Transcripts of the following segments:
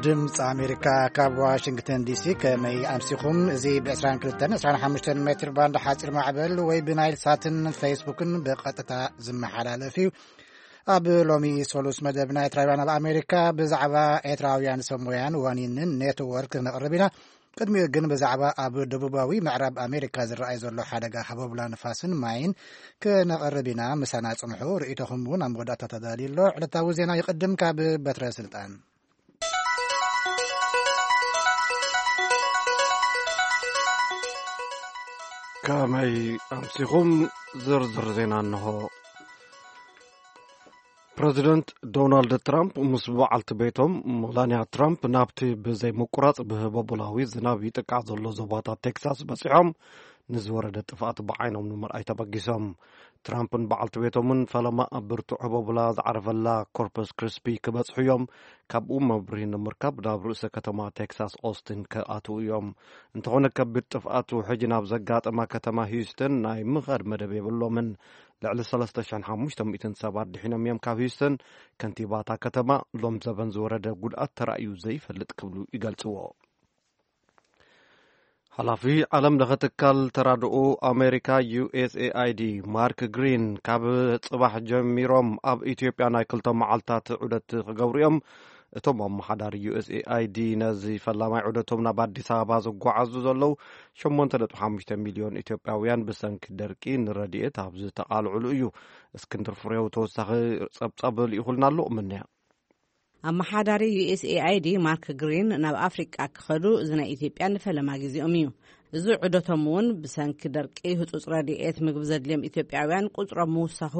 ድምፂ ኣሜሪካ ካብ ዋሽንግተን ዲሲ። ከመይ ኣምሲኹም? እዚ ብ22፣ 25 ሜትር ባንድ ሓፂር ማዕበል ወይ ብናይል ሳትን ፌስቡክን ብቐጥታ ዝመሓላለፍ እዩ። ኣብ ሎሚ ሶሉስ መደብ ናይ ኤርትራውያን ኣብ ኣሜሪካ ብዛዕባ ኤርትራውያን ሰብ ሞያን ዋኒንን ኔትወርክ ነቕርብ ኢና። ቅድሚኡ ግን ብዛዕባ ኣብ ደቡባዊ ምዕራብ ኣሜሪካ ዝረኣይ ዘሎ ሓደጋ ሃቦብላ ንፋስን ማይን ክነቕርብ ኢና። ምሳና ጽንሑ። ርእይቶኹም እውን ኣብ መወዳእታ ተዳልዩ ኣሎ። ዕለታዊ ዜና ይቕድም ካብ በትረ ስልጣን። ከመይ ኣምሲኹም? ዝርዝር ዜና እንሆ። ፕረዚደንት ዶናልድ ትራምፕ ምስ በዓልቲ ቤቶም መላንያ ትራምፕ ናብቲ ብዘይ ምቁራጽ ብህቦቦላዊ ዝናብ ይጥቃዕ ዘሎ ዞባታት ቴክሳስ በጺሖም፣ ንዝወረደ ጥፍኣት ብዓይኖም ንምርኣይ ተበጊሶም። ትራምፕን በዓልቲ ቤቶምን ፈለማ ኣብ ብርቱዕ ህቦቦላ ዝዓረፈላ ኮርፐስ ክሪስፒ ክበጽሑ እዮም። ካብኡ መብርሂ ንምርካብ ናብ ርእሰ ከተማ ቴክሳስ ኦስትን ክኣትዉ እዮም። እንተኾነ ከቢድ ጥፍኣት ውሕጅ ናብ ዘጋጠማ ከተማ ሂውስተን ናይ ምኻድ መደብ የብሎምን። ልዕሊ 3,500 ሰባት ድሒኖም እዮም ካብ ሂውስተን። ከንቲባታ ከተማ ሎም ዘበን ዝወረደ ጉድኣት ተራእዩ ዘይፈልጥ ክብሉ ይገልጽዎ። ሓላፊ ዓለም ለኸ ትካል ተራድኦ ኣሜሪካ ዩ ኤስ ኤ ኣይ ዲ ማርክ ግሪን ካብ ጽባሕ ጀሚሮም ኣብ ኢትዮጵያ ናይ ክልተ መዓልታት ዑደት ክገብሩ እዮም። እቶም ኣመሓዳሪ ዩ ኤስ ኤ ኣይ ዲ ነዚ ፈላማይ ዑደቶም ናብ ኣዲስ ኣበባ ዝጓዓዙ ዘለዉ 8.5 ሚልዮን ኢትዮጵያውያን ብሰንኪ ደርቂ ንረድኤት ኣብ ዝተቓልዕሉ እዩ። እስክንድር ፍሬው ተወሳኺ ጸብጻብ ልኢኹልና ኣሎ። ምንያ ኣመሓዳሪ ዩ ኤስ ኤ ኣይ ዲ ማርክ ግሪን ናብ ኣፍሪቃ ክኸዱ እዚ ናይ ኢትዮጵያ ንፈለማ ግዜኦም እዩ። እዚ ዑደቶም እውን ብሰንኪ ደርቂ ህጹጽ ረድኤት ምግቢ ዘድልዮም ኢትዮጵያውያን ቁጽሮም ምውሳኹ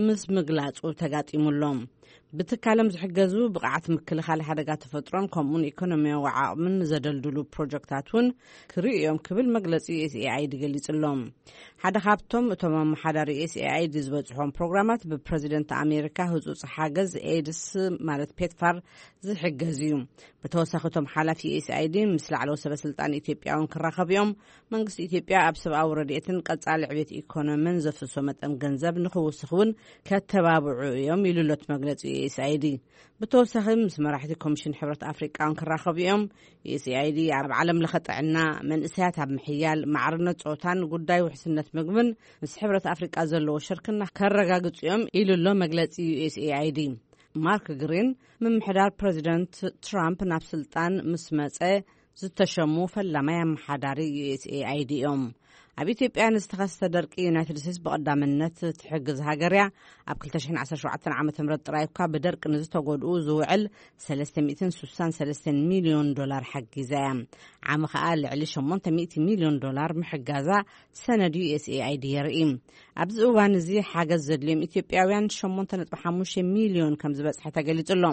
ምስ ምግላጹ ተጋጢሙሎም። ብትካሎም ዝሕገዙ ብቕዓት ምክልኻል ሓደጋ ተፈጥሮን ከምኡውን ኢኮኖሚያዊ ዓቕምን ዘደልድሉ ፕሮጀክታት እውን ክርእዩ እዮም ክብል መግለጺ ዩ ኤስ ኤ ኣይ ዲ ገሊጹሎም። ሓደ ካብቶም እቶም ኣመሓዳሪ ዩ ኤስ ኤ ኣይ ዲ ዝበጽሖም ፕሮግራማት ብፕረዚደንት ኣሜሪካ ህጹጽ ሓገዝ ኤድስ ማለት ፔትፋር ዝሕገዝ እዩ። ብተወሳኺ እቶም ሓላፊ ዩ ኤስ ኤ ኣይ ዲ ምስ ላዕለዎት ሰበ ስልጣን ኢትዮጵያ እውን ክራኸቡ እዮም። መንግስቲ ኢትዮጵያ ኣብ ሰብኣዊ ረድኤትን ቀጻሊ ዕቤት ኢኮኖሚን ዘፍስሶ መጠን ገንዘብ ንኽውስኽ እውን ከተባብዑ እዮም ኢሉ ኣሎ እቲ መግለጺ ዩ ኤስ ኤ ኣይ ዲ። ብተወሳኺ ምስ መራሕቲ ኮሚሽን ሕብረት ኣፍሪቃ እውን ክራኸቡ እዮም። ዩ ኤስ ኤ ኣይ ዲ ኣብ ዓለም ለኸ ጥዕና፣ መንእሰያት ኣብ ምሕያል፣ ማዕርነት ጾታን ጉዳይ ውሕስነት ምግብን ምስ ሕብረት ኣፍሪቃ ዘለዎ ሽርክና ከረጋግጹ እዮም ኢሉ ኣሎ መግለጺ ዩ ኤስ ኤ ኣይ ዲ። ማርክ ግሪን ምምሕዳር ፕረዚደንት ትራምፕ ናብ ስልጣን ምስ መጸ ዝተሸሙ ፈላማይ ኣመሓዳሪ ዩ ኤስ ኤ ኣይ ዲ እዮም። ኣብ ኢትዮጵያ ንዝተኸስተ ደርቂ ዩናይትድ ስቴትስ ብቐዳምነት ትሕግዝ ሃገር እያ። ኣብ 2017 ዓ ም ጥራይ እኳ ብደርቂ ንዝተጎድኡ ዝውዕል 363 ሚልዮን ዶላር ሓጊዛ እያ። ዓሚ ኸኣ ልዕሊ 800 ሚልዮን ዶላር ምሕጋዛ ሰነድ ዩ ኤስ ኤ ኣይ ዲ የርኢ። ኣብዚ እዋን እዚ ሓገዝ ዘድልዮም ኢትዮጵያውያን 8.5 ሚልዮን ከም ዝበጽሐ ተገሊጹ ኣሎ።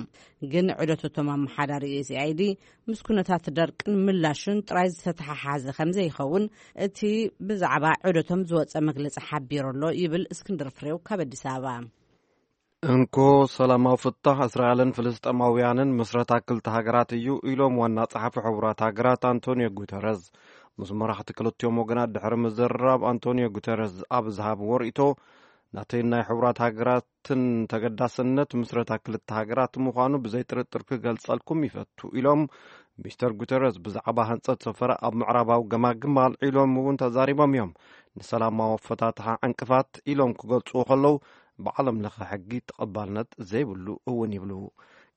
ግን ዑደት እቶም ኣመሓዳሪ ዩ ኤስ ኤ ኣይ ዲ ምስ ኩነታት ደርቅን ምላሹን ጥራይ ዝተተሓሓዘ ከም ዘይኸውን እቲ ብዛዕባ ዑደቶም ዝወጸ መግለጺ ሓቢሩ ኣሎ ይብል እስክንድር ፍሬው ካብ ኣዲስ ኣበባ። እንኮ ሰላማዊ ፍታሕ እስራኤልን ፍልስጤማውያንን ምስረታ ክልተ ሃገራት እዩ ኢሎም ዋና ጸሓፊ ሕቡራት ሃገራት ኣንቶኒዮ ጉተረዝ። ምስ መራሕቲ ክልቲኦም ወገናት ድሕሪ ምዝርራብ ኣንቶኒዮ ጉተረዝ ኣብ ዝሃብዎ ርእይቶ፣ ናተይ ናይ ሕቡራት ሃገራትን ተገዳስነት ምስረታ ክልተ ሃገራት ምዃኑ ብዘይ ጥርጥር ክገልጸልኩም ይፈቱ ኢሎም። ሚስተር ጉተረዝ ብዛዕባ ህንጸት ሰፈራ ኣብ ምዕራባዊ ገማግም ኣልዒሎም እውን ተዛሪቦም እዮም። ንሰላማዊ ኣፈታትሓ ዕንቅፋት ኢሎም ክገልጽዎ ከለዉ ብዓለም ለኸ ሕጊ ተቐባልነት ዘይብሉ እውን ይብሉ።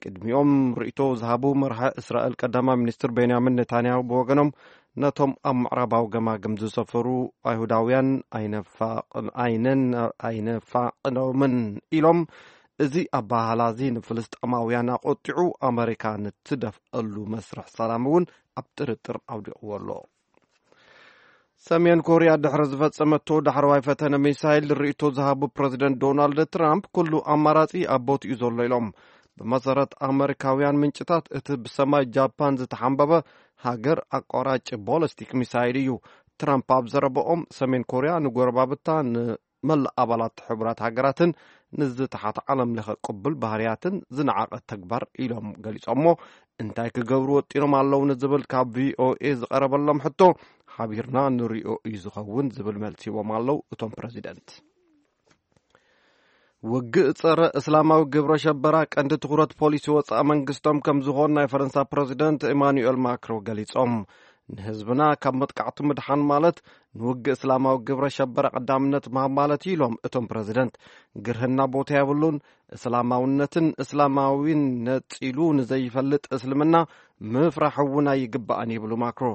ቅድሚኦም ርእይቶ ዝሃቡ መርሒ እስራኤል ቀዳማይ ሚኒስትር ቤንያሚን ኔታንያሁ ብወገኖም ነቶም ኣብ ምዕራባዊ ገማግም ዝሰፈሩ ኣይሁዳውያን ኣይነፋቕ-፣ ኣይነን-፣ ኣይነፋቕዶምን ኢሎም። እዚ ኣባህላ እዚ ንፍልስጤማውያን ኣቖጢዑ ኣመሪካ ንትደፍአሉ መስርሕ ሰላም እውን ኣብ ጥርጥር ኣውዲቕዎ ኣሎ። ሰሜን ኮርያ ድሕሪ ዝፈጸመቶ ዳሕረዋይ ፈተነ ሚሳይል ርእይቶ ዝሃቡ ፕረዚደንት ዶናልድ ትራምፕ፣ "ኩሉ ኣማራጺ ኣብ ቦትኡ ዘሎ" ኢሎም። ብመሰረት ኣመሪካውያን ምንጭታት፣ እቲ ብሰማይ ጃፓን ዝተሓንበበ ሃገር ኣቋራጭ ቦለስቲክ ሚሳይል እዩ። ትራምፕ ኣብ ዘረባኦም፣ ሰሜን ኮርያ ንጎረባብታ፣ ንመላእ ኣባላት ሕቡራት ሃገራትን ንዝተሓት ዓለም ለኸ ቅቡል ባህርያትን ዝነዓቐ ተግባር ኢሎም ገሊጾሞ። እንታይ ክገብሩ ወጢኖም ኣለዉ ንዝብል ካብ ቪ ኦ ኤ ዝቐረበሎም ሕቶ፣ ሓቢርና ንሪኦ እዩ ዝኸውን ዝብል መልሲ ሂቦም ኣለዉ እቶም ፕረዚደንት። ውግእ ጸረ እስላማዊ ግብረ ሸበራ ቀንዲ ትኹረት ፖሊሲ ወጻኢ መንግስቶም ከም ዝኾን ናይ ፈረንሳ ፕረዚደንት ኢማኑኤል ማክሮ ገሊጾም። ንህዝብና ካብ መጥቃዕቱ ምድሓን ማለት ንውግእ እስላማዊ ግብረ ሸበራ ቀዳምነት ምሃብ ማለት እዩ ኢሎም እቶም ፕረዚደንት። ግርህና ቦታ የብሉን። እስላማውነትን እስላማዊን ነጺሉ ንዘይፈልጥ እስልምና ምፍራሕ እውን ኣይግባእን ይብሉ ማክሮ።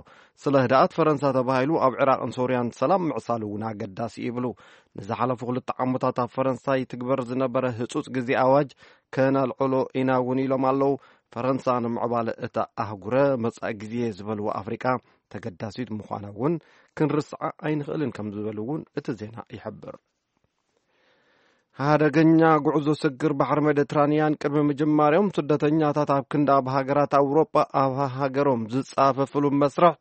ስለ ህድኣት ፈረንሳ ተባሂሉ ኣብ ዕራቕን ሶርያን ሰላም ምዕሳሉ እውን ኣገዳሲ ይብሉ። ንዝሓለፉ ክልተ ዓመታት ኣብ ፈረንሳ ይትግበር ዝነበረ ህጹጽ ግዜ ኣዋጅ ከነልዕሎ ኢና እውን ኢሎም ኣለዉ። ፈረንሳ ንምዕባለ እታ ኣህጉረ መጻኢ ግዜ ዝበልዎ ኣፍሪቃ ተገዳሲት ምዃና እውን ክንርስዓ ኣይንኽእልን ከም ዝበሉ እውን እቲ ዜና ይሕብር። ሓደገኛ ጉዕዞ ስግር ባሕሪ ሜዲትራንያን ቅድሚ ምጅማርዮም ስደተኛታት ኣብ ክንዲ ኣብ ሃገራት ኣውሮጳ ኣብ ሃገሮም ዝጻፈፍሉ መስርሕ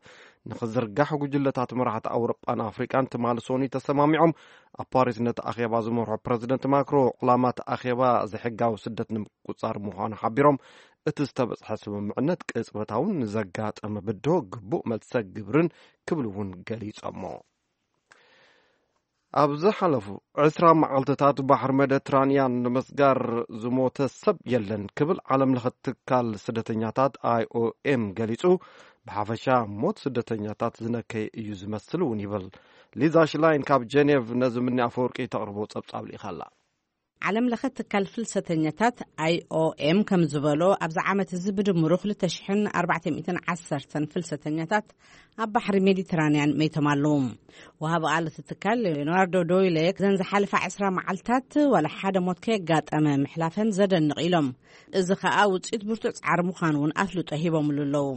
ንኽዝርጋሕ ጉጅለታት መራሕቲ ኣውሮጳን ኣፍሪቃን ትማሊ ሶኒ ተሰማሚዖም። ኣብ ፓሪስ ነቲ ኣኼባ ዝመርሖ ፕረዚደንት ማክሮ ዕላማ እቲ ኣኼባ ዘይሕጋዊ ስደት ንምቁጻር ምዃኑ ሓቢሮም። እቲ ዝተበጽሐ ስምምዕነት ቅጽበታውን ንዘጋጠመ ብድሆ ግቡእ መልሰ ግብርን ክብሉ እውን ገሊጾሞ። ኣብ ዝሓለፉ ዕስራ መዓልትታት ባሕሪ ሜዲትራንያን ንምስጋር ዝሞተ ሰብ የለን ክብል ዓለም ለኸ ትካል ስደተኛታት ኣይኦኤም ገሊጹ። ብሓፈሻ ሞት ስደተኛታት ዝነከየ እዩ ዝመስል እውን ይብል። ሊዛ ሽላይን ካብ ጀኔቭ ነዚ ምኒ ኣፈወርቂ ተቕርቦ ጸብጻብ ልኢኻ ኣላ። ዓለም ለኸ ትካል ፍልሰተኛታት ኣይኦኤም ከም ዝበሎ ኣብዚ ዓመት እዚ ብድምሩ ክልተ ሽሕን ኣርባዕተ ሚእትን ዓሰርተን ፍልሰተኛታት ኣብ ባሕሪ ሜዲትራንያን መይቶም ኣለዉ። ወሃቢ ቃል እቲ ትካል ሌዮናርዶ ዶይሌ ዘን ዝሓለፋ ዕስራ መዓልታት ዋላ ሓደ ሞት ከየጋጠመ ምሕላፈን ዘደንቕ ኢሎም። እዚ ኸኣ ውጽኢት ብርቱዕ ጻዕሪ ምዃኑ እውን ኣፍልጦ ሂቦምሉ ኣለዉ።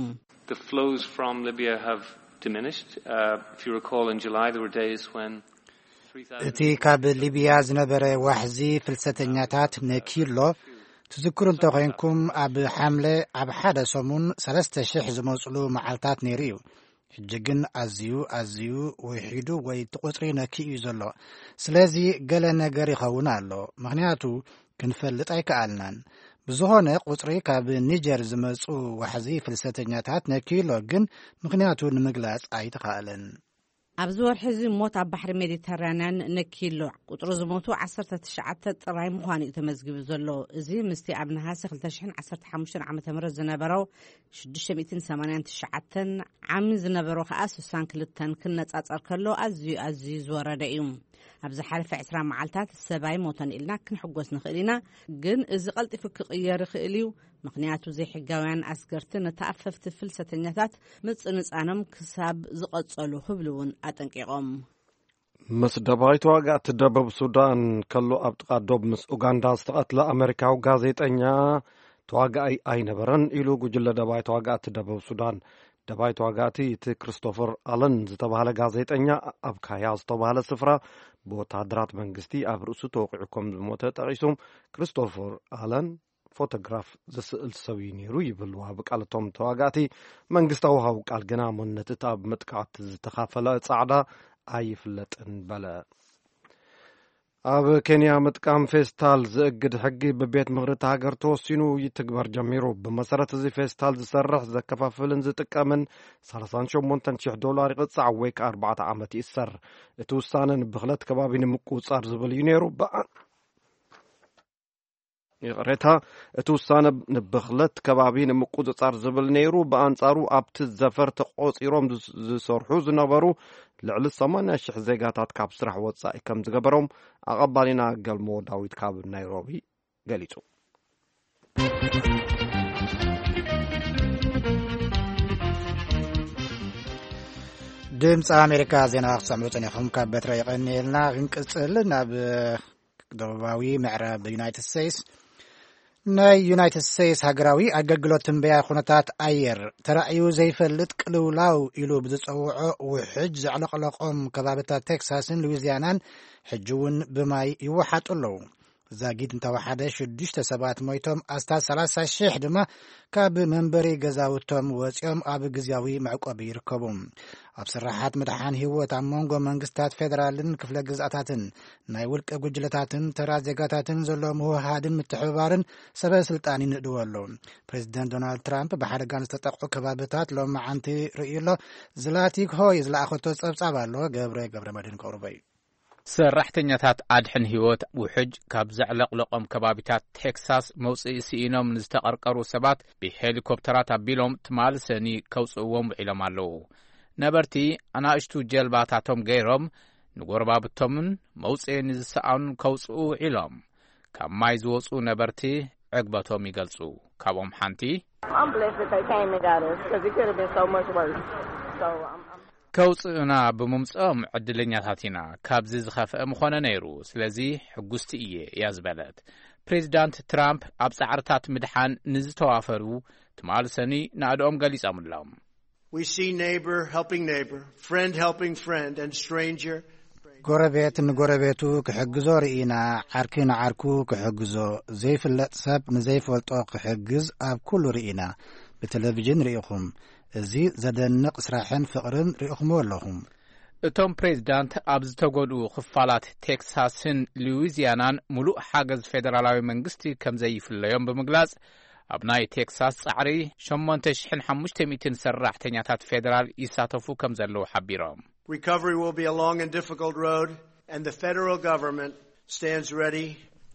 The flows from Libya have diminished. Uh, if you recall, in July there were days when እቲ ካብ ሊብያ ዝነበረ ዋሕዚ ፍልሰተኛታት ነኪሎ ትዝክሩ እንተኾይንኩም፣ ኣብ ሓምለ ኣብ ሓደ ሰሙን ሰለስተ ሽሕ ዝመጽሉ መዓልታት ነይሩ እዩ። ሕጂ ግን ኣዝዩ ኣዝዩ ውሒዱ ወይ እቲ ቁጽሪ ነኪኡ እዩ ዘሎ። ስለዚ ገለ ነገር ይኸውን ኣሎ፣ ምኽንያቱ ክንፈልጥ ኣይከኣልናን። ብዝኾነ ቁጽሪ ካብ ኒጀር ዝመጹ ዋሕዚ ፍልሰተኛታት ነኪሎ፣ ግን ምኽንያቱ ንምግላጽ ኣይተኻእለን። ኣብዚ ወርሒ እዚ ሞት ኣብ ባሕሪ ሜዲተራንያን ነኪሎ። ቁጽሪ ዝሞቱ ዓሰርተ ትሽዓተ ጥራይ ምዃኑ እዩ ተመዝጊቡ ዘሎ። እዚ ምስቲ ኣብ ነሃሲ ክልተ ሽሕን ዓሰርተ ሓሙሽተን ዓመተ ምህረት ዝነበረው ሽዱሽተ ሚእትን ሰማንያን ትሽዓተን ዓሚ ዝነበሮ ከኣ ስሳን ክልተን ክነጻጸር ከሎ ኣዝዩ ኣዝዩ ዝወረደ እዩ። ኣብ ዝሓለፈ ዕስራ መዓልታት ሰብ ኣይሞተን ኢልና ክንሕጎስ ንኽእል ኢና፣ ግን እዚ ቀልጢፉ ክቕየር ይኽእል እዩ። ምኽንያቱ ዘይሕጋውያን ኣስገርቲ ነተኣፈፍቲ ፍልሰተኛታት ምጽንጻኖም ክሳብ ዝቐጸሉ ክብሉ እውን ኣጠንቂቖም። ምስ ደባይ ተዋጋእቲ ደቡብ ሱዳን ከሎ ኣብ ጥቓ ዶብ ምስ ኡጋንዳ ዝተቐትለ ኣመሪካዊ ጋዜጠኛ ተዋጋኣይ ኣይነበረን ኢሉ ጉጅለ ደባይ ተዋጋእቲ ደቡብ ሱዳን። ደባይ ተዋጋእቲ እቲ ክሪስቶፈር ኣለን ዝተባህለ ጋዜጠኛ ኣብ ካያ ዝተባህለ ስፍራ ብወታደራት መንግስቲ ኣብ ርእሱ ተወቂዑ ከም ዝሞተ ጠቒሱ። ክሪስቶፈር ኣለን ፎቶግራፍ ዘስእል ሰብ እዩ ነይሩ ይብል ወሃቢ ቃል እቶም ተዋጋእቲ። መንግስታዊ ወሃቢ ቃል ግና መንነት እቲ ኣብ መጥቃዕቲ ዝተኻፈለ ጻዕዳ ኣይፍለጥን በለ። ኣብ ኬንያ ምጥቃም ፌስታል ዝእግድ ሕጊ ብቤት ምኽሪ እታ ሃገር ተወሲኑ ይትግበር ጀሚሩ። ብመሰረት እዚ ፌስታል ዝሰርሕ፣ ዘከፋፍልን ዝጥቀምን ሰላሳን ሸሞንተን ሽሕ ዶላር ይቕጻዕ ወይ ከኣ ኣርባዕተ ዓመት ይእሰር። እቲ ውሳነ ንብኽለት ከባቢ ንምቁጽጻር ዝብል እዩ ነይሩ። ብኣ-፣ ይቕሬታ፣ እቲ ውሳነ ንብኽለት ከባቢ ንምቁጽጻር ዝብል ነይሩ። ብኣንጻሩ ኣብቲ ዘፈር ተቖጺሮም ዝስ-፣ ዝሰርሑ ዝነበሩ ልዕሊ ሰማንያ ሽሕ ዜጋታት ካብ ስራሕ ወጻኢ ከም ዝገበሮም ኣቐባሊና ገልሞ ዳዊት ካብ ናይሮቢ ገሊጹ። ድምፂ ኣሜሪካ ዜና ክትሰምዑ ጸኒኹም ካብ በትረ የቐንየልና። ክንቅጽል ናብ ደቡባዊ ምዕራብ ዩናይትድ ስቴትስ። ናይ ዩናይትድ ስቴትስ ሃገራዊ ኣገልግሎት ትንበያ ኩነታት ኣየር ተራእዩ ዘይፈልጥ ቅልውላው ኢሉ ብዝጸውዖ ውሕጅ ዘዕለቕለቖም ከባብታት ቴክሳስን ሉዊዚያናን ሕጂ እውን ብማይ ይወሓጡ ኣለዉ። ዛጊት እንተወሓደ ሽዱሽተ ሰባት ሞይቶም፣ ኣስታት ሰላሳ ሽሕ ድማ ካብ መንበሪ ገዛውቶም ወፂኦም ኣብ ግዝያዊ መዕቆቢ ይርከቡ። ኣብ ስራሓት ምድሓን ህይወት ኣብ መንጎ መንግስታት ፌደራልን ክፍለ ግዝኣታትን ናይ ውልቀ ጉጅለታትን ተራ ዜጋታትን ዘሎ ምውሃድን ምትሕብባርን ሰበ ስልጣን ይንእድዎ ኣለዉ። ፕሬዚደንት ዶናልድ ትራምፕ ብሓደጋን ዝተጠቕዑ ከባብታት ሎማዓንቲ ርእዩ ኣሎ። ዝላቲክ ሆይ ዝለኣኸቶ ጸብጻብ ኣሎ። ገብረ ገብረ መድህን ከቕርቦ እዩ። ሰራሕተኛታት ኣድሕን ህይወት ውሕጅ ካብ ዘዕለቕለቖም ከባቢታት ቴክሳስ መውፅኢ ስኢኖም ንዝተቐርቀሩ ሰባት ብሄሊኮፕተራት ኣቢሎም ትማሊ ሰኒ ከውፅእዎም ውዒሎም ኣለዉ። ነበርቲ ኣናእሽቱ ጀልባታቶም ገይሮም ንጎረባብቶምን መውፅኢ ንዝሰኣኑን ከውፅኡ ውዒሎም። ካብ ማይ ዝወፁ ነበርቲ ዕግበቶም ይገልፁ። ካብኦም ሓንቲ I'm blessed that they came and got us, 'cause it could have been so much worse. So I'm, I'm ከውፅኡና ብምምፅኦም ዕድለኛታት ኢና። ካብዚ ዝኸፍአ ምኾነ ነይሩ። ስለዚ ሕጉስቲ እየ እያ ዝበለት። ፕሬዚዳንት ትራምፕ ኣብ ጻዕርታት ምድሓን ንዝተዋፈሩ ትማሊ ሰኒ ናእድኦም ገሊጾምሎም። We see neighbor helping neighbor, friend helping friend, and stranger. ጎረቤት ንጎረቤቱ ክሕግዞ ርኢና፣ ዓርኪ ንዓርኩ ክሕግዞ፣ ዘይፍለጥ ሰብ ንዘይፈልጦ ክሕግዝ ኣብ ኩሉ ርኢና። ብቴሌቪዥን ርኢኹም። እዚ ዘደንቕ ስራሕን ፍቕርን ርኢኹምዎ ኣለኹም። እቶም ፕሬዚዳንት ኣብ ዝተጎድኡ ክፋላት ቴክሳስን ሉዊዚያናን ምሉእ ሓገዝ ፌደራላዊ መንግስቲ ከም ዘይፍለዮም ብምግላጽ፣ ኣብ ናይ ቴክሳስ ጻዕሪ ሸሞንተ ሽሕን ሓሙሽተ ሚእትን ሰራሕተኛታት ፌደራል ይሳተፉ ከም ዘለዉ ሓቢሮም። Recovery will be a long and difficult road, and the federal government stands ready,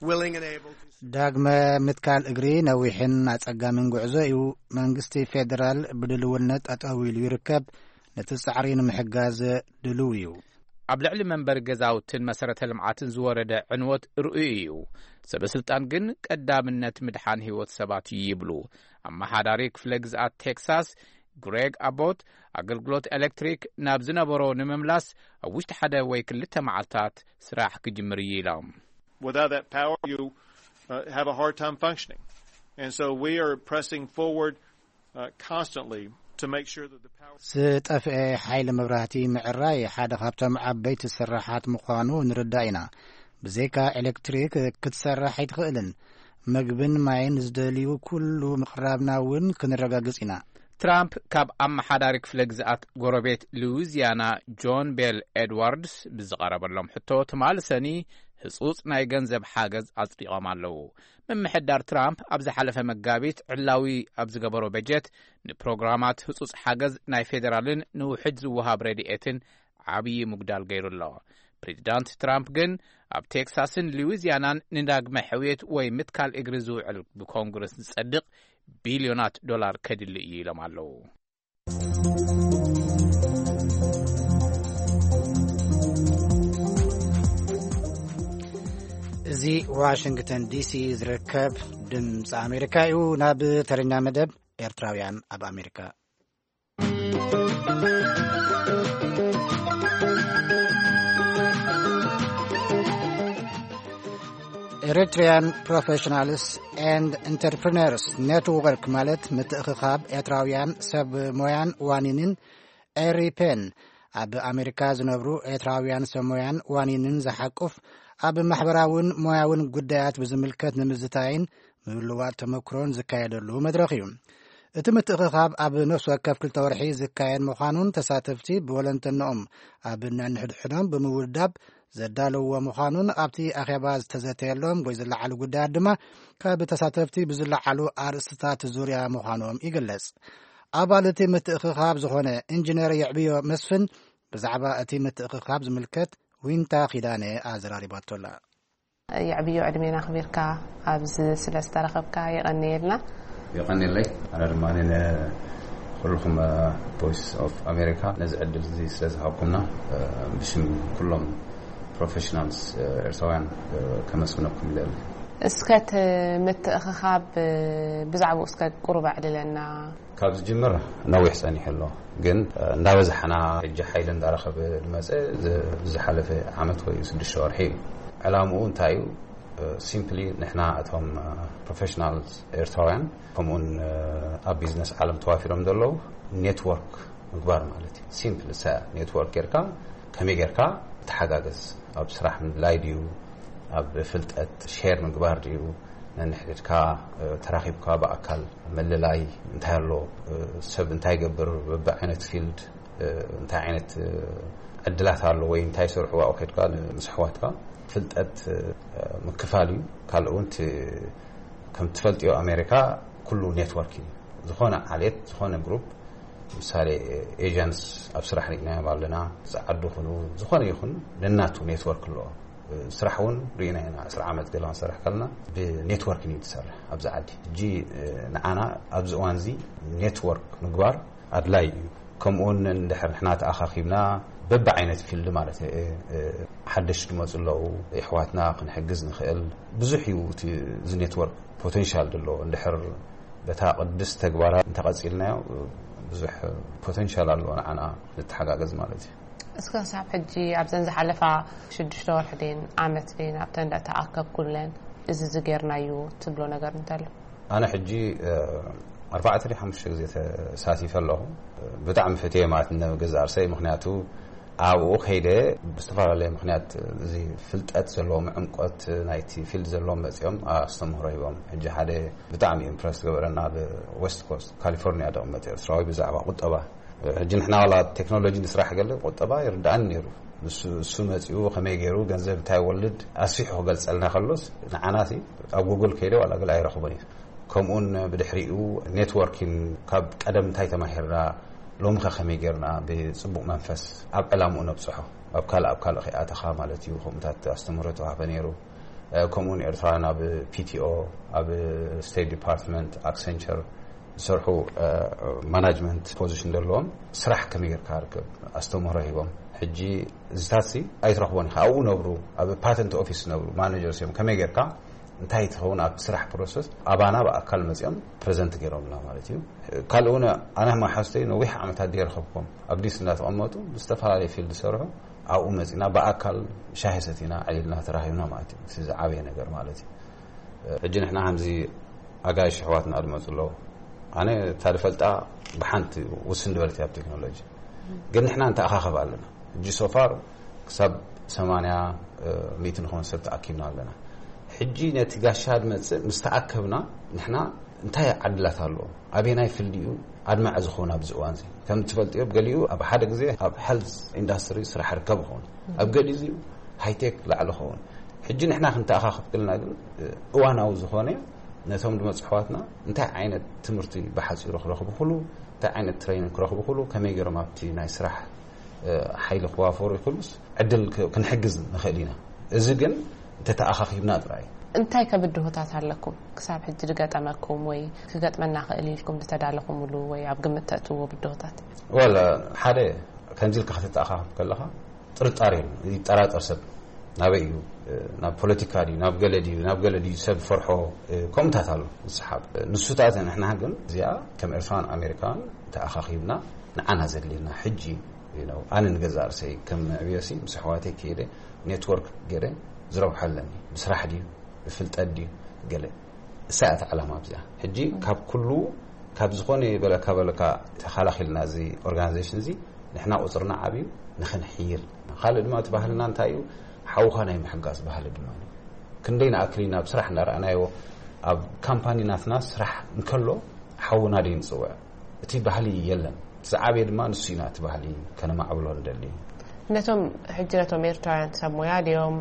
willing and able to ዳግመ ምትካል እግሪ ነዊሕን ኣጸጋምን ጉዕዞ እዩ። መንግስቲ ፌደራል ብድልውነት ጠጠው ኢሉ ይርከብ። ነቲ ጻዕሪ ንምሕጋዝ ድልው እዩ። ኣብ ልዕሊ መንበሪ ገዛውትን መሰረተ ልምዓትን ዝወረደ ዕንወት ርኡይ እዩ። ሰበ ስልጣን ግን ቀዳምነት ምድሓን ህይወት ሰባት እዩ ይብሉ። ኣመሓዳሪ ክፍለ ግዝኣት ቴክሳስ ግሬግ ኣቦት፣ ኣገልግሎት ኤሌክትሪክ ናብ ዝነበሮ ንምምላስ ኣብ ውሽጢ ሓደ ወይ ክልተ መዓልታት ስራሕ ክጅምር እዩ ኢሎም። Without that power, you uh, have a hard time functioning. And so we are pressing forward uh, constantly to make sure that the power ዝጠፍአ ሓይሊ መብራህቲ ምዕራይ ሓደ ካብቶም ዓበይቲ ስራሓት ምዃኑ ንርዳእ ኢና። ብዘይካ ኤሌክትሪክ ክትሰርሕ ኣይትኽእልን። መግብን ማይን ዝደልዩ ኩሉ ምቕራብና እውን ክንረጋግጽ ኢና። ትራምፕ ካብ ኣመሓዳሪ ክፍለ ግዝኣት ጎረቤት ሉዊዚያና ጆን ቤል ኤድዋርድስ ብዝቐረበሎም ሕቶ ትማሊ ሰኒ ህጹጽ ናይ ገንዘብ ሓገዝ ኣጽዲቖም ኣለዉ። ምምሕዳር ትራምፕ ኣብ ዝሓለፈ መጋቢት ዕላዊ ኣብ ዝገበሮ በጀት ንፕሮግራማት ህጹጽ ሓገዝ ናይ ፌደራልን ንውሕጅ ዝወሃብ ረድኤትን ዓብዪ ምጉዳል ገይሩ ኣሎ። ፕሬዚዳንት ትራምፕ ግን ኣብ ቴክሳስን ሉዊዚያናን ንዳግመ ሕውየት ወይ ምትካል እግሪ ዝውዕል ብኮንግረስ ዝጸድቕ ቢልዮናት ዶላር ከድሊ እዩ ኢሎም ኣለዉ። እዚ ዋሽንግተን ዲሲ ዝርከብ ድምፂ ኣሜሪካ እዩ። ናብ ተረኛ መደብ ኤርትራውያን ኣብ ኣሜሪካ። Eritrean Professionals and Entrepreneurs Network ማለት ምትእኽኻብ ኤርትራውያን ሰብ ሞያን ዋኒንን ኤሪፔን ኣብ ኣሜሪካ ዝነብሩ ኤርትራውያን ሰብ ሞያን ዋኒንን ዝሓቁፍ ኣብ ማሕበራውን ሞያውን ጉዳያት ብዝምልከት ንምዝታይን ምልውዋጥ ተመክሮን ዝካየደሉ መድረኽ እዩ። እቲ ምትእኽኻብ ኣብ ነፍሲ ወከፍ ክልተ ወርሒ ዝካየድ ምዃኑን ተሳተፍቲ ብወለንተንኦም ኣብ ነንሕድሕዶም ብምውዳብ ዘዳለውዎ ምዃኑን ኣብቲ ኣኼባ ዝተዘተየሎም ወይ ዝለዓሉ ጉዳያት ድማ ካብ ተሳተፍቲ ብዝለዓሉ ኣርእስትታት ዙርያ ምዃኖም ይግለጽ። ኣባል እቲ ምትእኽኻብ ዝኾነ ኢንጂነር የዕብዮ መስፍን ብዛዕባ እቲ ምትእኽኻብ ዝምልከት ዊንታ ኪዳነ ኣዘራሪባቶ ኣላ። የዕብዮ ዕድሜና ኣኽቢርካ ኣብዚ ስለ ዝተረኸብካ የቐንየልና። የቐንየለይ። ኣነ ድማ ንኹልኹም ቮይስ ኦፍ ኣሜሪካ ነዚ ዕድል እዚ ስለ ዝሃብኩምና ብሽም ኩሎም ፕሮፌሽናልስ ኤርትራውያን ከመስግነኩም ይደሊ። እስከ እቲ ምትእኽኻብ ብዛዕባኡ እስከ ቁሩብ ኣዕልለና። ካብ ዝጅምር ነዊሕ ጸኒሑ ኣሎ፣ ግን እንዳበዛሕና ሕጂ ሓይሊ እንዳረኸበ ዝመጸ ዝ- ዝሓለፈ ዓመት ወይ ስድሽተ ወርሒ እዩ። ዕላምኡ እንታይ እዩ? ሲምፕሊ ንሕና እቶም ፕሮፌሽናል ኤርትራውያን ከምኡውን ኣብ ቢዝነስ ዓለም ተዋፊሮም ዘለዉ ኔትወርክ ምግባር ማለት እዩ። ሲምፕል ሰ ኔትወርክ ጌርካ ከመይ ጌርካ ተሓጋገዝ፣ ኣብ ስራሕ ምድላይ ድዩ፣ ኣብ ፍልጠት ሼር ምግባር ድዩ፣ ነንሕድድካ ተራኺብካ ብኣካል ምልላይ እንታይ ኣሎ፣ ሰብ እንታይ ይገብር፣ በብዓይነት ፊልድ እንታይ ዓይነት ዕድላት ኣሎ ወይ እንታይ ይሰርሑ ኣብኡ ከድካ ምስ ኣሕዋትካ ፍልጠት ምክፋል እዩ። ካልእ እውን እቲ ከም ትፈልጥዮ ኣሜሪካ ኩሉ ኔትወርክ እዩ። ዝኾነ ዓሌት፣ ዝኾነ ግሩፕ ምሳሌ ኤጀንትስ ኣብ ስራሕ ርኢናዮም ኣለና። ጸዓዱ ይኹኑ ዝኾነ ይኹን ነናቱ ኔትወርክ ኣለዎ። ስራሕ እውን ርኢና ኢና። ዕስራ ዓመት ገለ ክንሰርሕ ከለና ብኔትወርክ እዩ ትሰርሕ ኣብዚ ዓዲ። ሕጂ ንዓና ኣብዚ እዋን እዚ ኔትወርክ ምግባር ኣድላይ እዩ። ከምኡውን እንድሕር ንሕና ተኣኻኺብና በብዓይነት ፊልድ ማለት ሓደሽ ዝመፁ ኣለዉ፣ የሕዋትና ክንሕግዝ ንኽእል። ብዙሕ እዩ እቲ እዚ ኔትወርክ ፖቴንሻል ዘለዎ። እንድሕር በታ ቅድስቲ ተግባራ እንተቐፂልናዮ ብዙሕ ፖቴንሻል ኣለዎ ንዓና ንተሓጋገዝ ማለት እዩ። እስከ ክሳብ ሕጂ ኣብዘን ዝሓለፋ ሽዱሽተ ወርሒ ደን ዓመት ደን ኣብተን እንዳተኣከብኩለን እዚ ዝጌርናዩ ትብሎ ነገር እንተሎ? ኣነ ሕጂ ኣርባዕተ ደ ሓሙሽተ ግዜ ተሳቲፈ ኣለኹ። ብጣዕሚ ፈትየ ማለት ንገዛ ርሰይ፣ ምክንያቱ ኣብኡ ከይደ ብዝተፈላለየ ምክንያት እዚ ፍልጠት ዘለዎም ዕምቆት ናይቲ ፊልድ ዘለዎም መፅኦም ኣስተምህሮ ሂቦም። ሕጂ ሓደ ብጣዕሚ ኢምፕረስ ገበረና ኣብ ዌስት ኮስት ካሊፎርኒያ ደቕመጥ ኤርትራዊ ብዛዕባ ቁጠባ። ሕጂ ንሕና ዋላ ቴክኖሎጂ ንስራሕ ገለ ቁጠባ ይርዳእን ነይሩ። ንሱ እሱ መፂኡ ከመይ ገይሩ ገንዘብ እንታይ ወልድ ኣስፊሑ ክገልፀልና ከሎስ ንዓናሲ ኣብ ጉግል ከይደ ዋላ ገለ ኣይረኽቦን እዩ። ከምኡን ብድሕሪኡ ኔትወርኪን ካብ ቀደም እንታይ ተማሂርና ሎሚ ከ ከመይ ጌርና ብጽቡቕ መንፈስ ኣብ ዕላምኡ ነብጽሖ፣ ኣብ ካልእ ኣብ ካልእ ከይኣተኻ ማለት እዩ። ከምኡታት ኣስተምህሮ ተዋህበ ነይሩ። ከምኡውን ኤርትራውያን ኣብ ፒቲኦ፣ ኣብ ስቴት ዲፓርትመንት ኣክሰንቸር ዝሰርሑ ማናጅመንት ፖዚሽን ዘለዎም ስራሕ ከመይ ጌርካ ርከብ ኣስተምህሮ ሂቦም። ሕጂ እዚታት ሲ ኣይትረኽቦን ኢኻ። ኣብኡ ነብሩ ኣብ ፓተንት ኦፊስ ነብሩ ማኔጀርስ እዮም። ከመይ ጌርካ እንታይ ትኸውን ኣብቲ ስራሕ ፕሮሰስ ኣባና ብኣካል መፂኦም ፕረዘንት ገይሮምና ማለት እዩ። ካልእ እውን ኣነ ማሓዝተይ ነዊሕ ዓመታት ድየ ረኸብኩም ኣብ ዲስ እንዳተቐመጡ ብዝተፈላለየ ፊልድ ዝሰርሑ ኣብኡ መፂና ብኣካል ሻሂ ሰቲና ዕሊልና ተራኺብና ማለት እዩ። እዚ ዝዓበየ ነገር ማለት እዩ። ሕጂ ንሕና ከምዚ ኣጋይሽ ኣሕዋትና ዝመፁ ኣለዉ። ኣነ እታ ዝፈልጣ ብሓንቲ ውስን ዝበለት ኣብ ቴክኖሎጂ ግን ንሕና ንተኣኻኸብ ኣለና። ሕጂ ሶፋር ክሳብ ሰማንያ ሚእቲ ንኾን ሰብ ተኣኪብና ኣለና። ሕጂ ነቲ ጋሻ ድመፅእ ምስ ተኣከብና ንሕና እንታይ ዓድላት ኣለዎ፣ ኣበየናይ ፊልድ እዩ ኣድማዒ ዝኸውን ኣብዚ እዋን እዚ? ከም ትፈልጥዮ ገሊኡ ኣብ ሓደ ግዜ ኣብ ሄልዝ ኢንዳስትሪ ስራሕ ርከብ ይኸውን፣ ኣብ ገሊኡ እዚ ሃይቴክ ላዕሊ ይኸውን። ሕጂ ንሕና ክንተኣኻኸብ ክልና ግን እዋናዊ ዝኾነ ነቶም ድመፁ ኣሕዋትና እንታይ ዓይነት ትምህርቲ ብሓፂሩ ክረኽቡ ክሉ እንታይ ዓይነት ትሬኒንግ ክረኽቡ ክሉ ከመይ ገይሮም ኣብቲ ናይ ስራሕ ሓይሊ ክዋፈሩ ይኽእሉስ ዕድል ክንሕግዝ ንኽእል ኢና። እዚ ግን እንተተኣኻኺብና ጥራይ። እንታይ ከብድሆታት ኣለኩም ክሳብ ሕጂ ዝገጠመኩም ወይ ክገጥመና ክእል ኢልኩም ዝተዳለኹምሉ ወይ ኣብ ግምት ተእትዎ ብድሆታት? ወላ ሓደ ከምዚ ኢልካ ከተተኣኻኽብ ከለኻ ጥርጣሬ ይጠራጠር ሰብ። ናበይ እዩ ናብ ፖለቲካ ድዩ ናብ ገለ ድዩ ናብ ገለ ድዩ ሰብ ፈርሖ ከምኡታት ኣሎ ዝሰሓብ ንሱታት ንሕና ግን እዚኣ ከም ኤርትራን ኣሜሪካን ተኣኻኺብና ንዓና ዘድልየና ሕጂ ኣነ ንገዛ ርእሰይ ከም ዕብዮሲ ምስ ኣሕዋተይ ከይደ ኔትወርክ ገይረ ዝረብሖ ኣለኒ ብስራሕ ድዩ ብፍልጠት ድዩ ገለ እሳ እያ ዕላማ ኣብዚኣ ሕጂ ካብ ኩሉ ካብ ዝኾነ በለካ በለካ ተኻላኺልና እዚ ኦርጋናይዜሽን እዚ ንሕና ቁፅርና ዓብዩ ንኽንሕይል ካልእ ድማ እቲ ባህልና እንታይ እዩ ሓውኻ ናይ ምሕጋዝ ባህሊ ድማ ክንደይ ንኣክል ኢና ኣብ ስራሕ እንዳረኣናዮ ኣብ ካምፓኒ ናትና ስራሕ እንከሎ ሓውና ደይ ንፅውዕ እቲ ባህሊ የለን ዝዓበየ ድማ ንሱ ኢና እቲ ባህሊ ከነማዕብሎ ንደሊ ነቶም ሕጂ ነቶም ኤርትራውያን ሰብ ሞያ ድዮም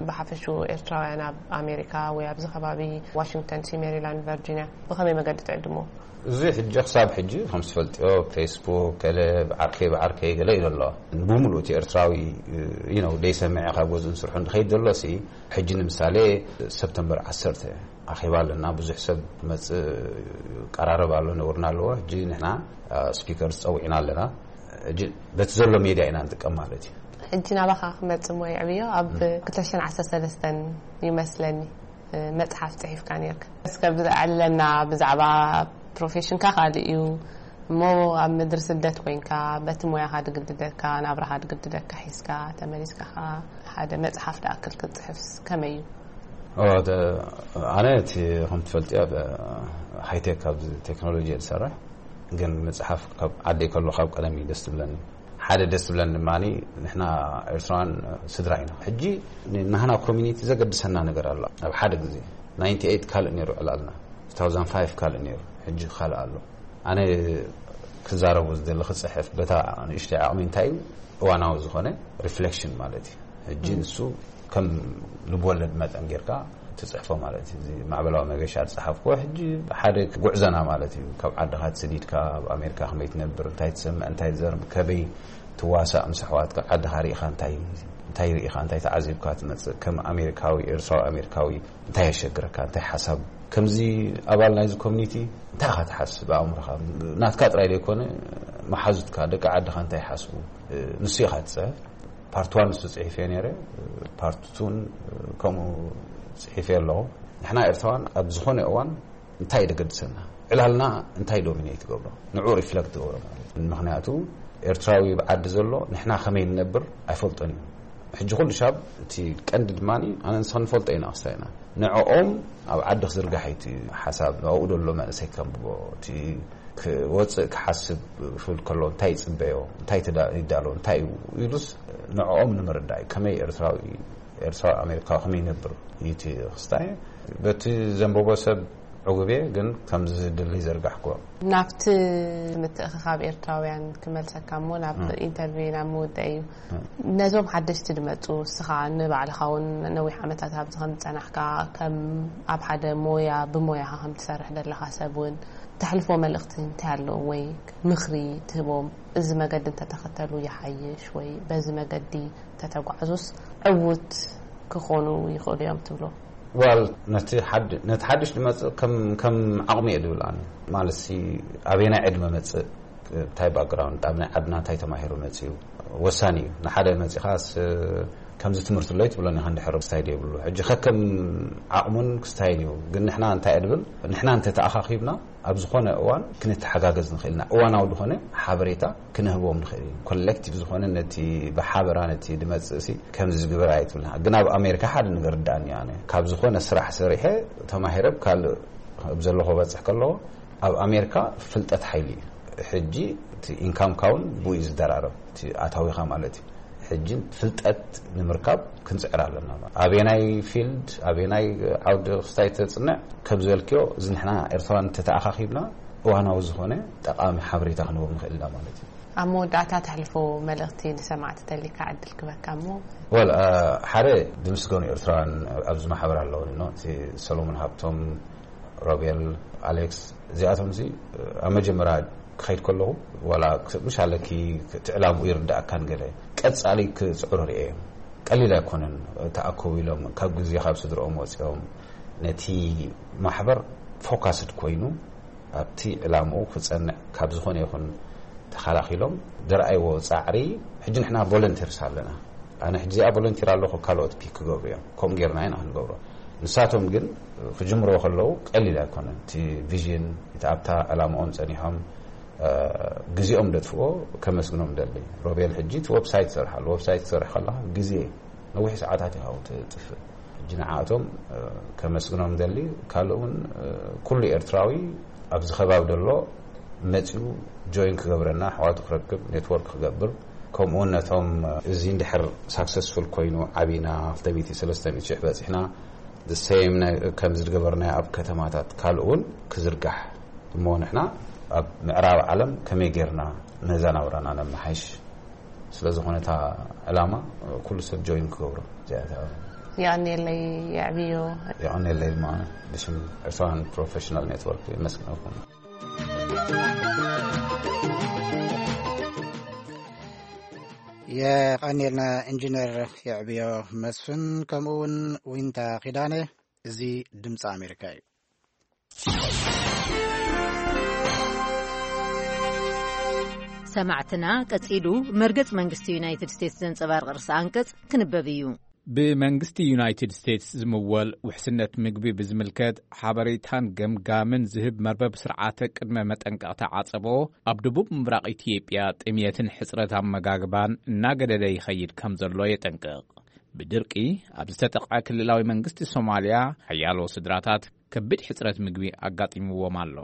ብሓፈሽኡ ኤርትራውያን ኣብ ኣሜሪካ ወይ ኣብዚ ከባቢ ዋሽንግተን ሲ ሜሪላንድ ቨርጂኒያ ብኸመይ መገዲ ትዕድሞ እዚ ሕጂ ክሳብ ሕጂ ከም ዝፈልጥዮ ፌስቡክ ገለ ብዓርከይ ብዓርከይ ገለ ኢሉ ኣሎ ብምሉእ እቲ ኤርትራዊ ነው ደይሰምዐ ካብ ገዝኡን ስርሑ እንድኸይድ ዘሎ ሲ ሕጂ ንምሳሌ ሰብተምበር ዓሰርተ ኣኼባ ኣለና ብዙሕ ሰብ ክመፅእ ቀራረብ ኣሎ ነውርና ኣለዎ ሕጂ ንሕና ስፒከር ዝፀዊዕና ኣለና በቲ ዘሎ ሜድያ ኢና ንጥቀም ማለት እዩ ሕጂ ናባኻ ክመፅእ ሞ ይዕብዮ ኣብ ክልተ ሽሕን ዓሰርተ ሰለስተን ይመስለኒ መፅሓፍ ፅሒፍካ ነርካ እስከ ብኣዕልለና ብዛዕባ ፕሮፌሽንካ ካልእ እዩ እሞ ኣብ ምድሪ ስደት ኮይንካ በቲ ሞያኻ ድግድደካ ናብራኻ ድግድደካ ሒዝካ ተመሊስካ ከዓ ሓደ መፅሓፍ ድኣክል ክትፅሕፍስ ከመይ እዩ ኣነ እቲ ከም ትፈልጥዮ ሃይቴክ ኣብዚ ቴክኖሎጂ እየ ዝሰርሕ ግን መፅሓፍ ካብ ዓደይ ከሎ ካብ ቀደም እዩ ደስ ትብለኒ ሓደ ደስ ትብለኒ ድማ ንሕና ኤርትራውያን ስድራ ኢና ሕጂ ናህና ኮሚኒቲ ዘገድሰና ነገር ኣሎ ኣብ ሓደ ግዜ ናይንቲ ኤይት ካልእ ነይሩ ዕላልና ቱ ታውዘንድ ፋይቭ ካልእ ነይሩ ሕጂ ካልእ ኣሎ ኣነ ክዛረቡ ዝደሊ ክፅሕፍ በታ ንእሽተይ ዓቕሚ እንታይ እዩ እዋናዊ ዝኾነ ሪፍሌክሽን ማለት እዩ ሕጂ ንሱ ከም ልብወለድ መጠን ጌርካ ትጽሕፎ ማለት እዩ። እዚ ማዕበላዊ መገሻ ዝጸሓፍኩዎ ሕጂ ሓደ ጉዕዘና ማለት እዩ። ካብ ዓድኻ ትስዲድካ ኣብ ኣሜሪካ ከመይ ትነብር፣ እንታይ ትሰምዕ፣ እንታይ ትዘርብ፣ ከበይ ትዋሳእ ምስ ኣሕዋትካ፣ ዓድኻ ርኢኻ እንታይ እንታይ ርኢኻ እንታይ ተዓዚብካ ትመጽእ፣ ከም ኣሜሪካዊ፣ ኤርትራዊ ኣሜሪካዊ እንታይ የሸግረካ፣ እንታይ ሓሳብ፣ ከምዚ ኣባል ናይዚ ኮሚኒቲ እንታይ ኢኻ ትሓስብ ኣእምሮኻ፣ ናትካ ጥራይ ዘይኮነ መሓዙትካ ደቂ ዓድኻ እንታይ ይሓስቡ፣ ንሱ ኢኻ ትጽሕፍ። ፓርት ዋን ንሱ ጽሒፈ ነይረ፣ ፓርት ቱን ከምኡ ጽሒፈ ኣለኹ። ንሕና ኤርትራውያን ኣብ ዝኾነ እዋን እንታይ ደገድሰና፣ ዕላልና እንታይ ዶሚኔት ይገብሮ፣ ንዑ ሪፍለክት ትገብሮ ማለት እዩ። ምክንያቱ ኤርትራዊ ብዓዲ ዘሎ ንሕና ከመይ ንነብር ኣይፈልጦን እዩ። ሕጂ ኩሉ ሻብ እቲ ቀንዲ ድማ ኣነ ንስኻ ንፈልጦ ኢና ክስታይና ንዕኦም ኣብ ዓዲ ክዝርጋሕ እዩ እቲ ሓሳብ። ኣብኡ ደሎ መንእሰይ ከንብቦ፣ እቲ ክወፅእ ክሓስብ ክብል ከሎ እንታይ ይፅበዮ፣ እንታይ ተዳ- ይዳሎ፣ እንታይ እዩ ኢሉስ ንዕኦም ንምርዳእ እዩ። ከመይ ኤርትራዊ ኤርትራዊ ኣሜሪካዊ ከመይ ይነብር እዩ እቲ ክስታይ። በቲ ዘንበቦ ሰብ ዕጉብ እየ፣ ግን ከምዚ ድሊ ዘርጋሕኩዎ። ናብቲ ምትእኽኻብ ኤርትራውያን ክመልሰካ እሞ ናብ ኢንተርቪው ናብ ምውዳእ እዩ። ነዞም ሓደሽቲ ድመፁ፣ እስኻ ንባዕልኻ እውን ነዊሕ ዓመታት ኣብዚ ከም ዝፀናሕካ፣ ከም ኣብ ሓደ ሞያ ብሞያኻ ከም ትሰርሕ ዘለኻ ሰብ እውን ተሕልፎ መልእኽቲ እንታይ ኣለዎም ወይ ምኽሪ ትህቦም? እዚ መገዲ እንተተኸተሉ ይሓይሽ ወይ በዚ መገዲ እንተተጓዕዙስ ዕዉት ክኾኑ ይኽእሉ እዮም ትብሎ? ዋል ነቲ ሓድ- ነቲ ሓድሽ ዝመጽእ ከም ከም ዓቕሚ እየ ዝብል ኣነ። ማለት ሲ ኣበየናይ ዕድመ መጽእ፣ እንታይ ባክግራውንድ፣ ኣብ ናይ ዓድና እንታይ ተማሂሩ መጽኡ ወሳኒ እዩ። ንሓደ መጺኻስ ከምዚ ትምህርቲ ኣለይ ትብሎኒ ኢኻ እንድሕር ክስታይ የብሉ። ሕጂ ከከም ዓቕሙን ክስታይን እዩ። ግን ንሕና እንታይ እየ ድብል፣ ንሕና እንተተኣኻኺብና ኣብ ዝኾነ እዋን ክንተሓጋገዝ ንኽእል ኢና። እዋናዊ ዝኾነ ሓበሬታ ክንህቦም ንኽእል ኢና። ኮሌክቲቭ ዝኾነ ነቲ ብሓበራ ነቲ ድመጽእ ሲ ከምዚ ዝግበር ኣይትብልና። ግን ኣብ ኣሜሪካ ሓደ ነገር ርዳእኒ ኣነ። ካብ ዝኾነ ስራሕ ሰሪሐ ተማሂረ ኣብ ካልእ ኣብ ዘለኹ በጽሕ ከለኹ ኣብ ኣሜሪካ ፍልጠት ሓይሊ እዩ። ሕጂ እቲ ኢንካምካ እውን ብኡ እዩ ዝደራረብ፣ እቲ ኣታዊኻ ማለት እዩ። ሕጂ ፍልጠት ንምርካብ ክንጽዕር ኣለና። ኣበየናይ ፊልድ፣ ኣበየናይ ዓውዲ ክስታይ ተጽንዕ፣ ከም ዝበልክዮ፣ እዚ ንሕና ኤርትራውያን እንተተኣኻኺብና፣ እዋናዊ ዝኾነ ጠቓሚ ሓበሬታ ክንህቦም ንኽእል ኢና ማለት እዩ። ኣብ መወዳእታ ተሕልፎ መልእኽቲ ንሰማዕቲ ተሊካ ዕድል ክበካ እሞ። ወል፣ አ፣ ሓደ ዝምስገኑ ኤርትራውያን ኣብዚ ማሕበር ኣለዉ፣ ኖ፣ እቲ ሰሎሞን ሃብቶም፣ ሮቤል፣ ኣሌክስ፣ እዚኣቶም እዚ ኣብ መጀመርያ ክኸይድ ከለኹ፣ ዋላ ክ- ምሽ ኣለኪ እቲ ዕላምኡ ይርዳእካን ገለ፣ ቀጻሊ ክጽዕሩ ርእዮም። ቀሊል ኣይኮነን። ተኣከቡ ኢሎም ካብ ግዜ ካብ ስድርኦም ወጺኦም ነቲ ማሕበር ፎካስድ ኮይኑ ኣብቲ ዕላምኡ ክጸንዕ ካብ ዝኾነ ይኹን ተኸላኺሎም ዝረኣይዎ ጻዕሪ። ሕጂ ንሕና ቮለንቲርስ ኣለና። ኣነ ሕጂ እዚኣ ቮለንቲር ኣለኹ፣ ካልኦት ፒክ ክገብሩ እዮም። ከምኡ ጌርና ኢና ክንገብሮ። ንሳቶም ግን ክጅምርዎ ከለዉ ቀሊል ኣይኮነን። እቲ ቪዥን፣ እቲ ኣብታ ዕላምኦም ጸኒሖም፣ እ፣ ግዜኦም ደጥፍኦ ከመስግኖም ደሊ። ሮቤል ሕጂ እቲ ዌብሳይት ሰርሓሉ። ዌብሳይት ትሰርሕ ከለኻ ግዜ ነዊሕ ሰዓታት ኢኻ ትጥፍእ። ሕጂ ንዓኣቶም፣ እ፣ ከመስግኖም ደሊ። ካልእ እውን፣ እ፣ ኩሉ ኤርትራዊ ኣብዚ ከባቢ ደሎ መጺኡ ጆይን ክገብረና፣ ኣሕዋቱ ክረክብ፣ ኔትወርክ ክገብር፣ ከምኡ እውን ነቶም፣ እ፣ እዚ እንድሕር ሳክሰስፉል ኮይኑ ዓቢና ክልተ ሚእቲ ሰለስተ ሚእቲ ሽሕ በጺሕና፣ the same ነ- ከምዚ ዝገበርናዮ ኣብ ከተማታት ካልእ እውን ክዝርጋሕ እሞ ንሕና ኣብ ምዕራብ ዓለም ከመይ ጌርና ነዛ ናብራና ነመሓይሽ? ስለ ዝኾነ እታ ዕላማ ኩሉ ሰብ ጆይን ክገብሮ እዚኣ እታ የቐንየለይ የዕብዮ። የቐንየለይ ድማ ብሽም ኤርትራውያን ፕሮፌሽናል ኔትወርክ የመስግነኩም። የቐንየልና ኢንጂነር የዕብዮ መስፍን፣ ከምኡ እውን ዊንታ ኪዳነ። እዚ ድምፂ ኣሜሪካ እዩ። ሰማዕትና፣ ቀጺሉ መርገጽ መንግስቲ ዩናይትድ ስቴትስ ዘንጸባርቕ ርእሰ ኣንቀጽ ክንበብ እዩ። ብመንግስቲ ዩናይትድ ስቴትስ ዝምወል ውሕስነት ምግቢ ብዝምልከት ሓበሬታን ገምጋምን ዝህብ መርበብ ስርዓተ ቅድመ መጠንቀቕታ ዓጸቦ ኣብ ደቡብ ምብራቕ ኢትዮጵያ ጥምየትን ሕጽረት ኣመጋግባን እናገደደ ይኸይድ ከም ዘሎ የጠንቅቕ። ብድርቂ ኣብ ዝተጠቕዐ ክልላዊ መንግስቲ ሶማልያ ሓያሎ ስድራታት ከቢድ ሕጽረት ምግቢ ኣጋጢምዎም ኣሎ።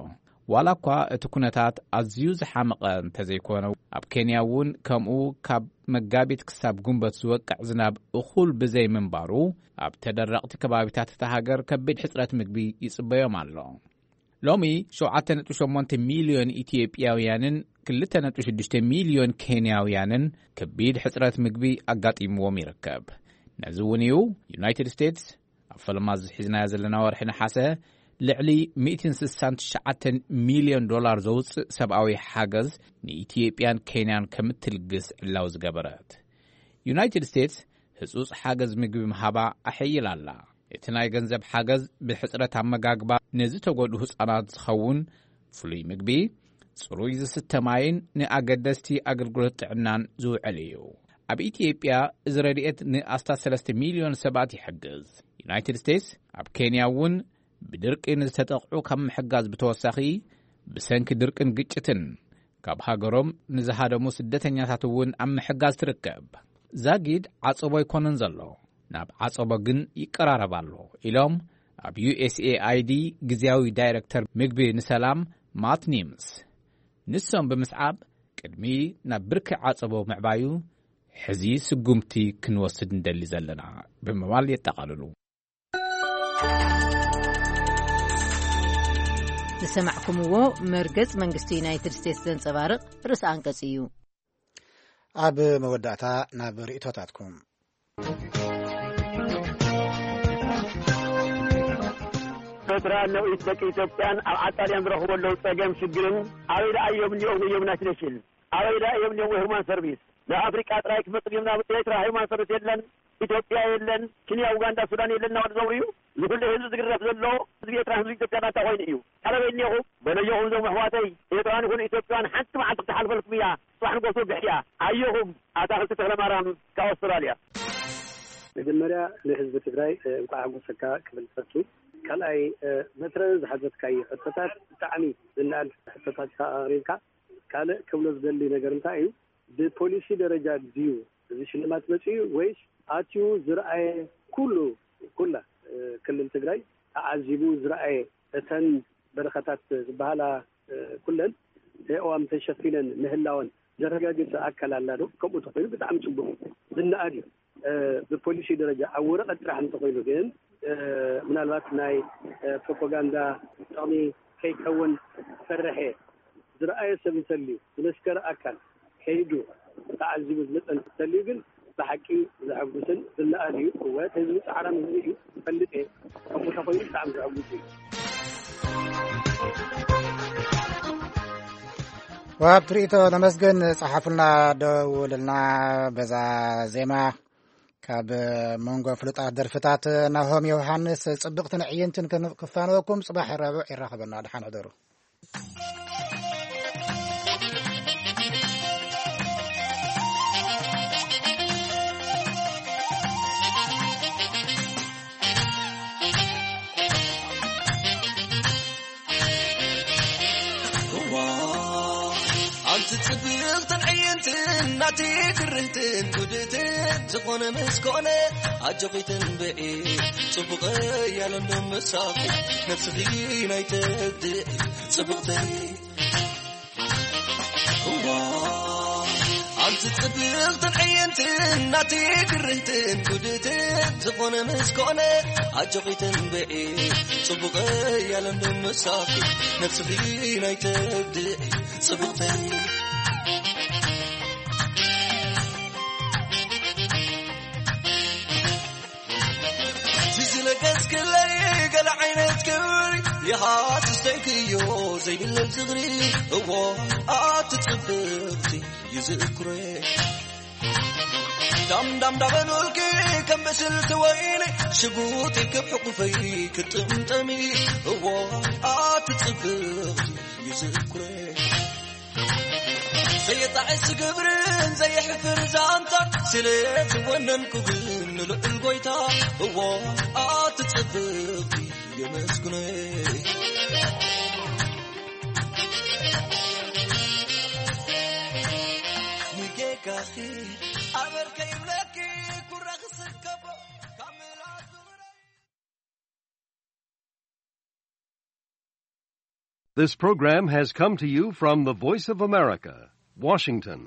ዋላ እኳ እቲ ኩነታት ኣዝዩ ዝሓመቐ እንተዘይኮነ፣ ኣብ ኬንያ እውን ከምኡ ካብ መጋቢት ክሳብ ጉንበት ዝወቅዕ ዝናብ እኹል ብዘይምንባሩ፣ ኣብ ተደረቕቲ ከባቢታት እታ ሃገር ከቢድ ሕጽረት ምግቢ ይጽበዮም ኣሎ። ሎሚ ሸውዓተ ነጥቢ ሸሞንተ ሚልዮን ኢትዮጵያውያንን ክልተ ነጥቢ ሽዱሽተ ሚልዮን ኬንያውያንን ከቢድ ሕጽረት ምግቢ ኣጋጢምዎም ይርከብ። ነዚ እውን እዩ ዩናይትድ ስቴትስ ኣብ ፈለማ ዝሒዝናዮ ዘለና ወርሒ ነሓሰ፣ ልዕሊ ሚእትን ስሳን ትሽዓተን ሚልዮን ዶላር ዘውፅእ ሰብኣዊ ሓገዝ ንኢትዮጵያን ኬንያን ከምትልግስ ዕላው ዝገበረት። ዩናይትድ ስቴትስ ህጹጽ ሓገዝ ምግቢ ምሃባ ኣሐይላ ኣላ። እቲ ናይ ገንዘብ ሓገዝ ብሕጽረት ኣመጋግባ ንዝተጎድኡ ህጻናት ዝኸውን ፍሉይ ምግቢ፣ ጽሩይ ዝስተ ማይን ንኣገደስቲ ኣገልግሎት ጥዕናን ዝውዕል እዩ። ኣብ ኢትዮጵያ እዚ ረድኤት ንኣስታት ሰለስተ ሚልዮን ሰባት ይሕግዝ። ዩናይትድ ስቴትስ ኣብ ኬንያ እውን ብድርቂ ንዝተጠቕዑ ካብ ምሕጋዝ ብተወሳኺ፣ ብሰንኪ ድርቅን ግጭትን ካብ ሃገሮም ንዝሃደሙ ስደተኛታት እውን ኣብ ምሕጋዝ ትርከብ። ዛጊድ ዓጸቦ ኣይኮነን ዘሎ፣ ናብ ዓጸቦ ግን ይቀራረብ ኣሎ ኢሎም ኣብ ዩ ኤስ ኤ ኣይ ዲ ግዝያዊ ዳይረክተር ምግቢ ንሰላም ማት ኒምስ። ንሶም ብምስዓብ ቅድሚ ናብ ብርኪ ዓጸቦ ምዕባዩ ሕዚ ስጉምቲ ክንወስድ እንደሊ ዘለና ብምባል የጠቓልሉ። ዝሰማዕኩምዎ መርገጽ መንግስቲ ዩናይትድ ስቴትስ ዘንጸባርቕ ርእሰ ኣንቀጽ እዩ። ኣብ መወዳእታ ናብ ርእይቶታትኩም። ኤርትራ ነውኢት ደቂ ኢትዮጵያን ኣብ ዓጣልያን ዝረኽቡ ኣለዉ ጸገም ሽግርን ኣበይ ደኣ እዮም እኒኦም እዮም ዩናይትድ ኔሽን? ኣበይ ደኣ እዮም እኒኦም ወይ ሁማን ሰርቪስ? ንኣፍሪቃ ጥራይ ክመጽእ እዮም ናብ ኤርትራ ሁማን ሰርቪስ የለን፣ ኢትዮጵያ የለን፣ ኬንያ፣ ኡጋንዳ፣ ሱዳን የለን እናበሉ ዘውርዩ። ዝኹሉ ህዝቢ ዝግረፍ ዘሎ ህዝቢ ኤርትራ ህዝቢ ኢትዮጵያ ናታ ኮይኑ እዩ። ኣበይ እኒኹም? በለየኹም እዞም ኣሕዋተይ ኤርትራን ይኹኑ ኢትዮጵያን ሓንቲ መዓልቲ ክትሓልፈልኩም እያ። ጽባሕ ንጎ ትወግሕ እያ። ኣየኹም ኣታኽልቲ ተኽለ ማርያም ካብ ኣውስትራልያ። መጀመርያ ንህዝቢ ትግራይ፣ እ፣ እንኳዕ ሓጎሰካ ክብል ዝፈቱ። ካልኣይ፣ እ፣ መትረን ዝሓተትካዮ ሕቶታት ብጣዕሚ ዝነኣድ ሕቶታት ኢኻ ኣቕሪብካ። ካልእ ክብሎ ዝደሊ ነገር እንታይ እዩ? ብፖሊሲ ደረጃ ድዩ እዚ ሽልማት መጺኡ ወይስ ኣትዩ ዝረኣየ ኩሉ፣ ኩላ፣ እ፣ ክልል ትግራይ ተዓዚቡ ዝረኣየ እተን በረኸታት ዝበሃላ፣ እ፣ ኩለን ኣእዋም ተሸፊነን ምህላወን ዘረጋገጸ ኣካል ኣላ ዶ? ከምኡ ተኾይኑ ብጣዕሚ ጽቡቕ እዩ። ዝነኣድ እዩ። እ፣ ብፖሊሲ ደረጃ ኣብ ወረቐት ጥራሕ እንተኾይኑ ግን፣ እ፣ ምናልባት ናይ፣ እ፣ ፕሮፓጋንዳ ጥቕሚ ከይከውን ፈርሐ። ዝረኣየ ሰብ እንተልዩ፣ ዝመስከረ ኣካል ከይዱ ተዓዚቡ ዝመጸ እንተልዩ ግን ብሓቂ ዘሐጉስን ዝነኣድ እዩ። እወ፣ እቲ ህዝቢ ጻዕራም ህዝቢ እዩ፣ እፈልጥ እየ። ከምኡ እንተኾይኑ ብጣዕሚ ዘሐጉስ እዩ። ወሃብ ትርኢቶ ነመስግን። ጸሓፉልና፣ ደውልልና። በዛ ዜማ ካብ መንጎ ፍሉጣት ደርፍታት ናሆም ዮሃንስ ጽብቕትን ዕይንትን ክን-፣ ክፋነወኩም። ጽባሕ ረቡዕ ይራኸበና። ደሓን ሕደሩ። እዋ፣ ኣንቲ ጽብቕትን ዕይንትን ናቲ ግርህትን ጉድትን ዝኾነ ምስ ኮነ ኣጆኺ ትንብዒ ጽቡቐይ ያለንዶ ምሳኺ ነፍስኺ ናይ ተድዒ ጽብቕተይ። እዋ፣ ኣንቲ ጽብቕትን ዕይንትን ናቲ ግርህትን ጉድትን ዝኾነ ምስ ኮነ ኣጆኺ ተንብዒ ጽቡቐይ ያለንዶ ምሳኺ ነፍስኺ ናይ ተድዒ ጽብቕተይ። ዝለገስክለይ ገለ ዓይነት ክብሪ ይሃስስተይክዮ ዘይብለል ዝኽሪ። እዎ ኣቲ ጽብቕቲ ይዝክሬ ዳም ዳም ዳበሉልኪ ከም ብስልቲ ወይኒ ሽጉጥ ኢልክብ ሕቁፈይ ክጥምጠሚ። እዎ ኣቲ ጽብቕቲ ይዝክሬ ዘየጣዕስ ግብርን ዘየሕፍር ዛንታ ስለ ዝወነንኩ ግን ንልዑል ጎይታ እዎ ኣቲ ጽብቕቲ የመስግኖ። ንጌጋኺ ኣበርከ ይብለኪ ኩራ ክስከቦ ካብ ምልኣት This program has come to you from the Voice of America, Washington.